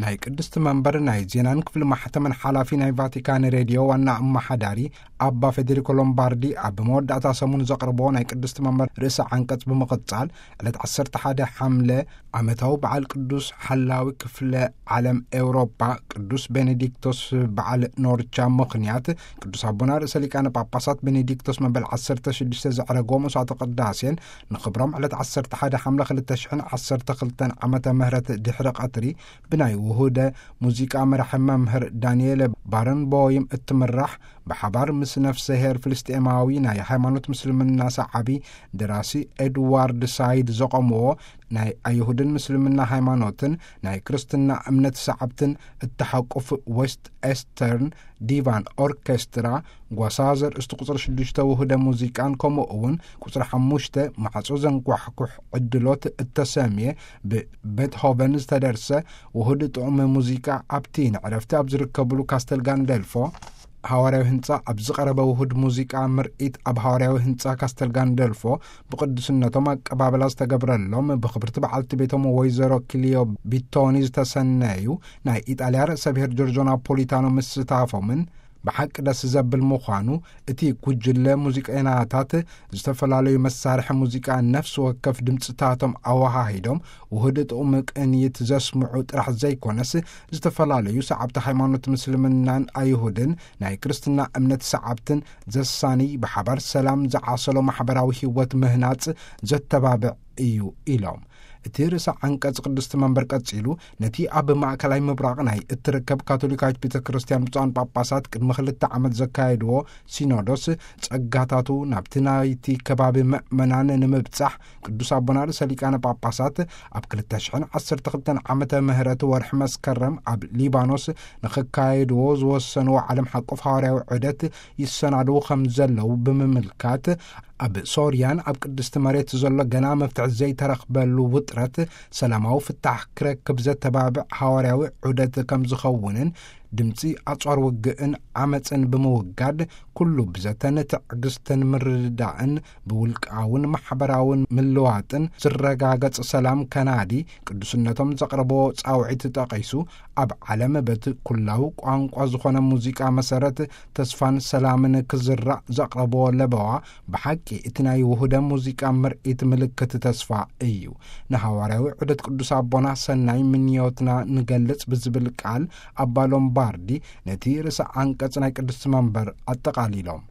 ናይ ቅድስቲ መንበር ናይ ዜናን ክፍሊ ማሕተምን ሓላፊ፣ ናይ ቫቲካን ሬድዮ ዋና ኣመሓዳሪ ኣባ ፌዴሪኮ ሎምባርዲ፣ ኣብ መወዳእታ ሰሙን ዘቕርቦ ናይ ቅድስቲ መንበር ርእሰ ዓንቀጽ ብምቕጻል፣ ዕለት ዓሰርተ ሓደ ሓምለ ዓመታዊ በዓል ቅዱስ ሓላዊ ክፍለ ዓለም ኤውሮጳ ቅዱስ ቤኔዲክቶስ በዓል ኖርቻ ምኽንያት፣ ቅዱስ ኣቦና ርእሰ ሊቃነ ጳጳሳት ቤኔዲክቶስ መበል ዓሰርተ ሽዱሽተ ዘዕረጎ መስዋዕተ ቅዳሴን ንኽብሮም ዕለት ዓሰርተ ሓደ ሓምለ ክልተ ሽሕን ዓሰርተ ክልተን ዓመተ ምህረት ድሕሪ ቀትሪ ብናይ ውሁደ ሙዚቃ መራሒ መምህር ዳንኤል ባረንቦይም እትምራሕ፣ ብሓባር ምስ ነፍሰ ሄር ፍልስጤማዊ ናይ ሃይማኖት ምስልምና ሰዓቢ ደራሲ ኤድዋርድ ሳይድ ዘቖምዎ ናይ ኣይሁድን ምስልምና ሃይማኖትን ናይ ክርስትና እምነት ሰዓብትን እተሓቁፍ ዌስት ኤስተርን ዲቫን ኦርኬስትራ፣ ጓሳ ዘርእስቲ ቁጽሪ ሽዱሽተ ውሁደ ሙዚቃን ከምኡ እውን ቁጽሪ ሓሙሽተ ማዕጾ ዘንኳሕኩሕ ዕድሎት እተሰምየ ብቤትሆቨን ዝተደርሰ ውሁድ ጥዑም ሙዚቃ ኣብቲ ንዕረፍቲ ኣብ ዝርከብሉ ካስተል ጋንደልፎ ሃዋርያዊ ህንጻ ኣብ ዝቐረበ ውሁድ ሙዚቃ ምርኢት ኣብ ሃዋርያዊ ህንጻ ካስተል ጋንደልፎ ብቅዱስነቶም ኣቀባበላ ዝተገብረሎም ብኽብርቲ በዓልቲ ቤቶም ወይዘሮ ክሊዮ ቢቶኒ ዝተሰነዩ ናይ ኢጣልያ ርእሰ ብሔር ጆርጆ ናፖሊታኖ ምስታፎምን ብሓቂ ደስ ዘብል ምዃኑ፣ እቲ ጉጅለ ሙዚቀኛታት ዝተፈላለዩ መሳርሒ ሙዚቃ ነፍሲ ወከፍ ድምፅታቶም ኣወሃሂዶም ውህድ ጥዑም ቅንይት ዘስምዑ ጥራሕ ዘይኮነስ፣ ዝተፈላለዩ ሰዓብቲ ሃይማኖት ምስልምናን ኣይሁድን ናይ ክርስትና እምነት ሰዓብትን ዘሳኒ ብሓባር ሰላም ዝዓሰሎ ማሕበራዊ ህይወት ምህናፅ ዘተባብዕ እዩ ኢሎም። እቲ ርእሰ ዓንቀጽ ቅድስቲ መንበር ቀጺሉ፣ ነቲ ኣብ ማእከላይ ምብራቕ ናይ እትርከብ ካቶሊካዊት ቤተ ክርስቲያን ብፁዓን ጳጳሳት ቅድሚ ክልተ ዓመት ዘካየድዎ ሲኖዶስ ጸጋታቱ ናብቲ ናይቲ ከባቢ ምእመናን ንምብጻሕ ቅዱስ ኣቦና ርእሰ ሊቃነ ጳጳሳት ኣብ ክልተ ሽሕን ዓሰርተ ክልተን ዓመተ ምህረት ወርሒ መስከረም ኣብ ሊባኖስ ንኽካየድዎ ዝወሰንዎ ዓለም ሓቆፍ ሃዋርያዊ ዑደት ይሰናድዉ ከም ዘለዉ ብምምልካት፣ ኣብ ሶርያን ኣብ ቅድስቲ መሬት ዘሎ ገና መፍትሒ ዘይተረኽበሉ ውጥረት ሰላማዊ ፍታሕ ክረክብ ዘተባብዕ ሃዋርያዊ ዑደት ከም ዝኸውንን፣ ድምፂ ኣጽዋር ውግእን ዓመፅን ብምውጋድ፣ ኩሉ ብዘተን ትዕግስትን ምርድዳእን ብውልቃውን ማሕበራውን ምልዋጥን ዝረጋገጽ ሰላም ከናዲ ቅዱስነቶም ዘቕረቦ ጻውዒት ጠቒሱ፣ ኣብ ዓለም በቲ ኩላዊ ቋንቋ ዝኾነ ሙዚቃ መሰረት ተስፋን ሰላምን ክዝራእ ዘቕረቦ ለበዋ፣ ብሓቂ እቲ ናይ ውሁደ ሙዚቃ ምርኢት ምልክት ተስፋ እዩ። ንሃዋርያዊ ዑደት ቅዱስ ኣቦና ሰናይ ምንዮትና ንገልጽ ብዝብል ቃል፣ ኣባ ሎምባርዲ ነቲ ርእሰ ዓንቀጽ ናይ ቅድስቲ መንበር ኣጠቓሊሎም።